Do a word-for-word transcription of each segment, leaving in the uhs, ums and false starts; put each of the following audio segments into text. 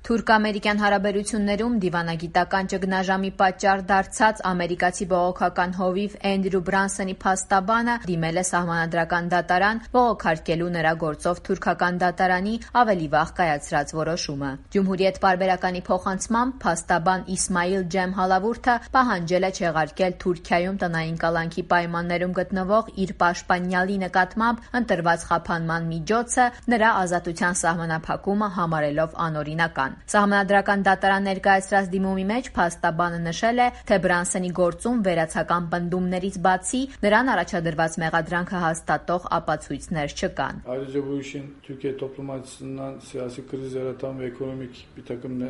Թուրք-ամերիկյան հարաբերություններում դիվանագիտական ճգնաժամի պատճառ դարձած ամերիկացի բողոքական հովիվ Էնդրյու Բրանսոնի փաստաբանը դիմել է սահմանադրական դատարան՝ բողոքարկելու նրա գործով թուրքական դատարանի ավելի վաղ կայացրած որոշումը։ Ջումհուրիետ պարբերականի փոխանցմամբ փաստաբան Իսմայիլ Ջեմ Հալավուրդը պահանջել է չեղարկել Թուրքիայում տնային կալանքի պայմաններում գտնվող իր պաշտպանյալի նկատմամբ ընտրված խափանման միջոցը նրա ազատության սահմանափակումը համարելով անօրինական։ Սահմանադրական դատարան ներկայացրած դիմումի մեջ փաստաբանը նշել է, թե Բրանսոնի գործում վերացական պնդումներից բացի նրան առաջադրված մեղադրանքը հաստատող ապացույցներ չկան։ Ayrıca bu işin Türkiye toplum açısından siyasi kriz yaratan ve ekonomik bir takım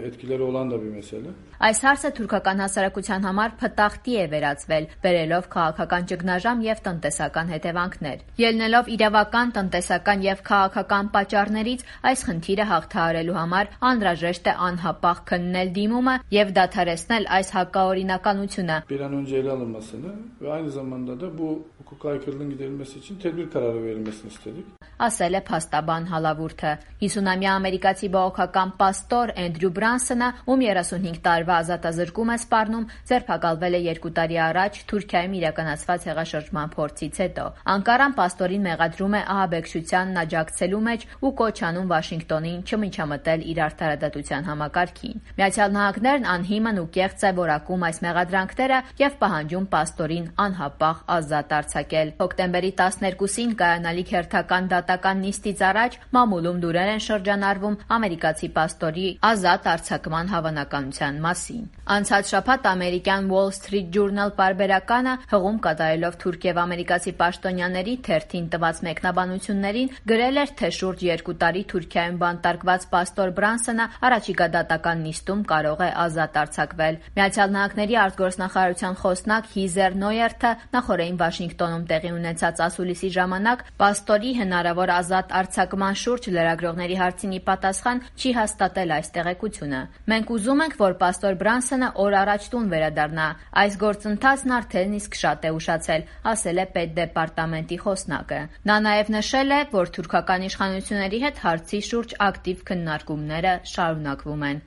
etkileri olan da bir mesele. Այս հարցը թուրքական հասարակության համար փտախտի է վերածվել, բերելով քաղաքական ճգնաժամ եւ տնտեսական հետևանքներ։ Ելնելով իրավական, տնտեսական եւ քաղաքական պատճառներից այս խնդիրը հաղթահարելու համար անհրաժեշտ է անհապաղ քննել դիմումը եւ դադարեցնել այս հակաօրինականությունը։ Bir an önce ele alınmasını ve aynı zamanda da bu hukuka aykırılığın giderilmesi için tedbir kararı verilmesini istedik. Ասել է փաստաբան Հալավուրդը։ հիսունամյա ամերիկացի բողոքական պաստոր Էնդրյու Բրանսոնը, ում երեսունհինգ տարվա ազատազրկում է սպառնում, ձերբակալվել է երկու տարի առաջ Թուրքիայում իրականացված հեղաշրջման փորձից հետո։ Անկարան պաստորին մեղադրում է ահաբեկչությանն աջակցելու մեջ ու կոչ անում Վաշինգտոնին չմիջամտել իր արդարադատության համակարգին։ Միացյալ Նահանգներն անհիմն ու կեղծ է որակում այս մեղադրանքները եւ պահանջում պաստորին անհապաղ ազատ արձակել։ Հոկտեմբերի տասներկուսին կայանալիք հերթական դատական նիստից առաջ մամուլում լուրեր են շրջանառվում ամերիկացի պաստորի ազատ արձակման հավանականության մասին։ Անցած շաբաթ ամերիկյան Wall Street Journal պարբերականը հղում կատարելով թուրք եւ ամերիկացի պաշտոնյաների թերթին տված մեկնաբանություններին գրել էր, թե շուրջ երկու տարի Թուրքիայում բանտարկված պաստոր Բրանսոնը առաջիկա դատական նիստում կարող է ազատ արձակվել։ Միացյալ Նահանգների արտգործնախարարության խոսնակ Հիզեր Նոյերթը նախորդին Վաշինգտոնում տեղի ունեցած ասուլիսի ժամանակ պաստորի հնարավոր ազատ արձակման շուրջ լրագրողների հարցին ի պատասխան չի հաստատել այս տեղեկությունը։ Մենք ուզում ենք, որ պաստոր Բրանսոնը օր առաջ տուն վերադառնա։ Այս գործընթացն արդեն իսկ շատ է ուշացել, ասել է պետդեպարտամենտի խոսնակը։ Նա նաև նշել է, որ թուրքական իշխանությունների հետ հարցի շուրջ ակտիվ քննարկումները շարունակվում են։